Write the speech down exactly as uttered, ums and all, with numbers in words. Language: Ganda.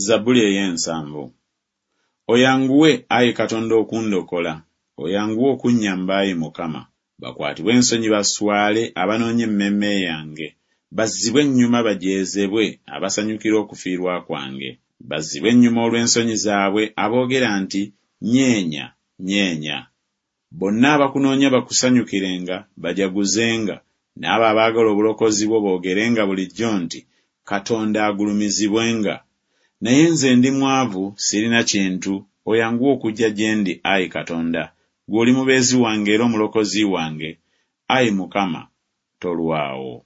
Zabbuli ey'ensanvu. Oyanguwe, ayi Katonda, okundokola, oyanguwe okunnyamba, ayi Mukama. Bakwatibwe ensonyi baswale abanoonya emmeeme yange, bazzibwe ennyuma bajeezebwe abasanyukira okufiirwa kwange. Bazzibwe ennyuma olw'ensonyi zaabwe aboogera nti, Nyeenya, nyeenya. Bonna abakunoonya bakusanyukirenga, bajaguzenga, n'abo abaagala obulokozi bwo boogerenga bulijjo nti, Katonda agulumizibwenga. Naye nze ndi mwavu, sirina kintu, oyanguwe okujja gye ndi, ayi Katonda. Ggwe oli mubeezi wange era omulokozi wange, ayi Mukama, tolwawo.